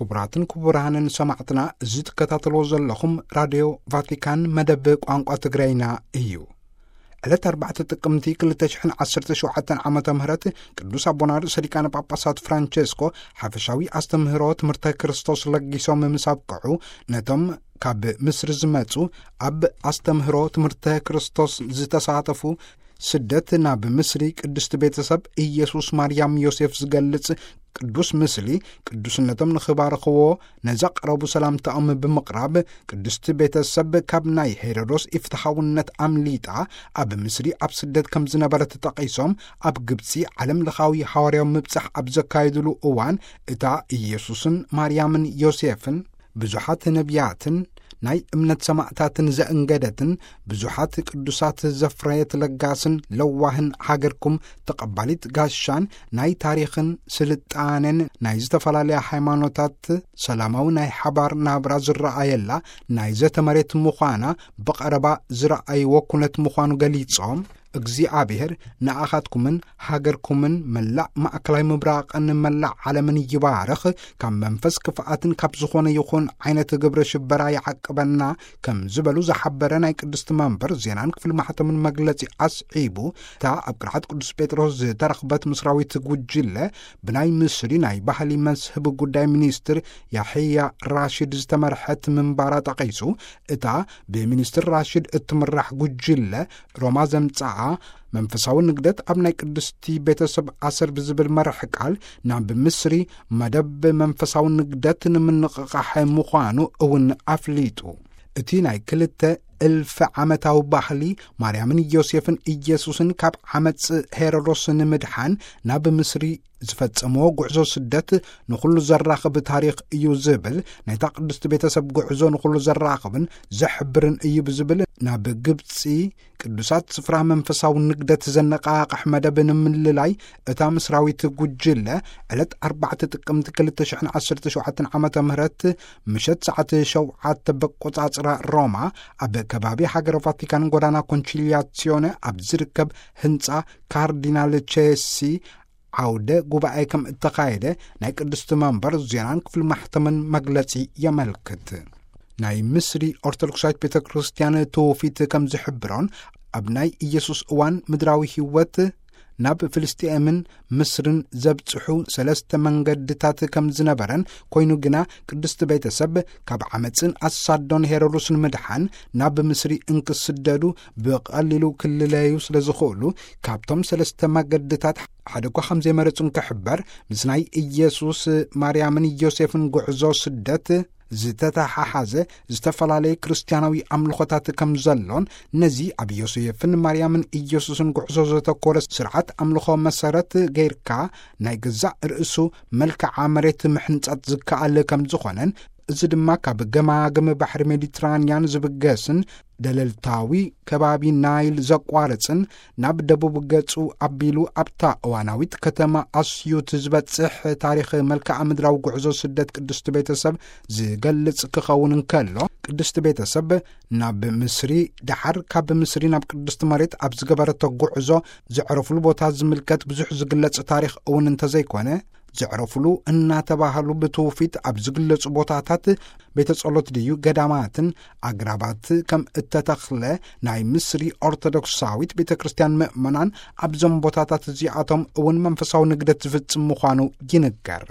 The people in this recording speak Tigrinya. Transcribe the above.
ክቡራትን ክቡራንን ሰማዕትና፣ እዚ ትከታተልዎ ዘለኹም ራድዮ ቫቲካን መደብ ቋንቋ ትግረይና እዩ። ዕለት ኣርባዕተ ጥቅምቲ ክልተ ሽሕን ዓሰርተ ሸውዓተን ዓመተ ምህረት ቅዱስ ኣቦና ርእሰ ሊቃነ ጳጳሳት ፍራንቸስኮ ሓፈሻዊ ኣስተምህሮ ትምህርተ ክርስቶስ ለጊሶም ምስ ኣብቅዑ፣ ነቶም ካብ ምስሪ ዝመጹ ኣብ ኣስተምህሮ ትምህርተ ክርስቶስ ዝተሳተፉ ስደት ናብ ምስሪ ቅድስቲ ቤተሰብ ኢየሱስ ማርያም ዮሴፍ ዝገልጽ ቅዱስ ምስሊ ቅዱስነቶም ንኽባርኽዎ ነዘቕረቡ ሰላምታኦም ብምቕራብ፣ ቅድስቲ ቤተሰብ ካብ ናይ ሄሮዶስ ኢፍትሓውነት ኣምሊጣ ኣብ ምስሪ ኣብ ስደት ከም ዝነበረት ጠቒሶም፣ ኣብ ግብጺ ዓለም ለኻዊ ሃዋርያዊ ምብጻሕ ኣብ ዘካየድሉ እዋን እታ ኢየሱስን ማርያምን ዮሴፍን ብዙሓት ነቢያትን ናይ እምነት ሰማዕታትን ዘእንገደትን ብዙሓት ቅዱሳት ዘፍረየት ለጋስን ለዋህን ሃገርኩም ተቐባሊት ጋሻን ናይ ታሪኽን ስልጣኔን ናይ ዝተፈላለያ ሃይማኖታት ሰላማዊ ናይ ሓባር ናብራ ዝረኣየላ ናይ ዘተ መሬት ምዃና ብቐረባ ዝረኣይዎ ኩነት ምዃኑ ገሊጾም፣ እግዚኣብሔር ንኣኻትኩምን ሃገርኩምን መላእ ማእከላይ ምብራቕን መላእ ዓለምን ይባርኽ፣ ካብ መንፈስ ክፍኣትን ካብ ዝኾነ ይኹን ዓይነት ግብረ ሽበራ ይዓቅበና ከም ዝበሉ ዝሓበረ ናይ ቅድስቲ መንበር ዜናን ክፍሊ ማሕተምን መግለጺ ኣስዒቡ፣ እታ ኣብ ቅርዓት ቅዱስ ጴጥሮስ ዝተረኽበት ምስራዊት ጉጅለ ብናይ ምስሪ ናይ ባህሊ መስህብ ጉዳይ ሚኒስትር ያሕያ ራሽድ ዝተመርሐት ምንባራ ጠቒሱ፣ እታ ብሚኒስትር ራሽድ እትምራሕ ጉጅለ ሮማ ዘምጽኣ መንፈሳዊ ንግደት ኣብ ናይ ቅድስቲ ቤተሰብ ኣሰር ብዝብል መርሕ ቃል ናብ ምስሪ መደብ መንፈሳዊ ንግደት ንምንቕቓሕ ምዃኑ እውን ኣፍሊጡ። እቲ ናይ ክልተ እልፊ ዓመታዊ ባህሊ ማርያምን ዮሴፍን ኢየሱስን ካብ ዓመጽ ሄሮዶስ ንምድሓን ናብ ምስሪ ዝፈጸምዎ ጉዕዞ ስደት ንኹሉ ዘራኽብ ታሪኽ እዩ ዝብል፣ ናይታ ቅድስቲ ቤተሰብ ጉዕዞ ንኹሉ ዘራኽብን ዘሕብርን እዩ ብዝብል፣ ናብ ግብጺ ቅዱሳት ስፍራ መንፈሳዊ ንግደት ዘነቃቕሕ መደብ ንምልላይ እታ ምስራዊት ጉጅለ ዕለት ኣርባዕተ ጥቅምቲ ክልተ ሽሕን ዓሰርተ ሸውዓተን ዓመተ ምህረት ምሸት ሰዓት ሸውዓተ በቆጻጽራ ሮማ ኣብ ከባቢ ሃገረ ቫቲካን ጎዳና ኮንቺሊያሲዮነ ኣብ ዝርከብ ህንጻ ካርዲናል ቼሲ ዓውደ ጉባኤ ከም እተኻየደ ናይ ቅድስቲ መንበር ዜናን ክፍሊ ማሕተምን መግለጺ የመልክት። ናይ ምስሪ ኦርቶዶክሳዊት ቤተ ክርስቲያን ትውፊት ከም ዝሕብሮን፣ ኣብ ናይ ኢየሱስ እዋን ምድራዊ ህይወት ናብ ፍልስጤምን ምስርን ዘብጽሑ ሰለስተ መንገድታት ከም ዝነበረን፣ ኮይኑ ግና ቅድስቲ ቤተሰብ ካብ ዓመጽን ኣሳዶን ሄሮድስን ምድሓን ናብ ምስሪ እንክስደዱ ብቐሊሉ ክልለዩ ስለ ዝኽእሉ፣ ካብቶም ሰለስተ መገድታት ሓደ እኳ ከም ዘይመረጹ እንክሕበር፣ ምስ ናይ ኢየሱስ፣ ማርያምን ዮሴፍን ጉዕዞ ስደት ዝተተሓሓዘ ዝተፈላለየ ክርስትያናዊ ኣምልኾታት ከም ዘሎን፣ ነዚ ኣብ ዮሴፍን ማርያምን ኢየሱስን ጉዕዞ ዘተኮረ ስርዓት ኣምልኾ መሰረት ጌርካ ናይ ገዛእ ርእሱ መልክዓ መሬት ምሕንጻት ዝከኣል ከም ዝኾነን፣ እዚ ድማ ካብ ገማግም ባሕሪ ሜዲትራንያን ዝብገስን ደለልታዊ ከባቢ ናይል ዘቋርጽን ናብ ደቡብ ገጹ ኣቢሉ ኣብታ እዋናዊት ከተማ ኣስዩት ዝበጽሕ ታሪኽ መልክዓ ምድራዊ ጉዕዞ ስደት ቅድስቲ ቤተሰብ ዝገልጽ ክኸውን እንከሎ፣ ቅድስቲ ቤተሰብ ናብ ምስሪ፣ ደሓር ካብ ምስሪ ናብ ቅድስቲ መሬት ኣብ ዝገበረቶ ጉዕዞ ዘዕረፉሉ ቦታ ዝምልከት ብዙሕ ዝግለጽ ታሪኽ እውን እንተዘይኮነ፣ ዘዕረፉሉ እናተባህሉ ብትውፊት ኣብ ዝግለጹ ቦታታት ቤተ ጸሎት ድዩ ገዳማትን ኣግራባት ከም እተተኽለ ናይ ምስሪ ኦርቶዶክሳዊት ቤተ ክርስቲያን ምእመናን ኣብዞም ቦታታት እዚኣቶም እውን መንፈሳዊ ንግደት ዝፍጽም ምዃኑ ይንገር።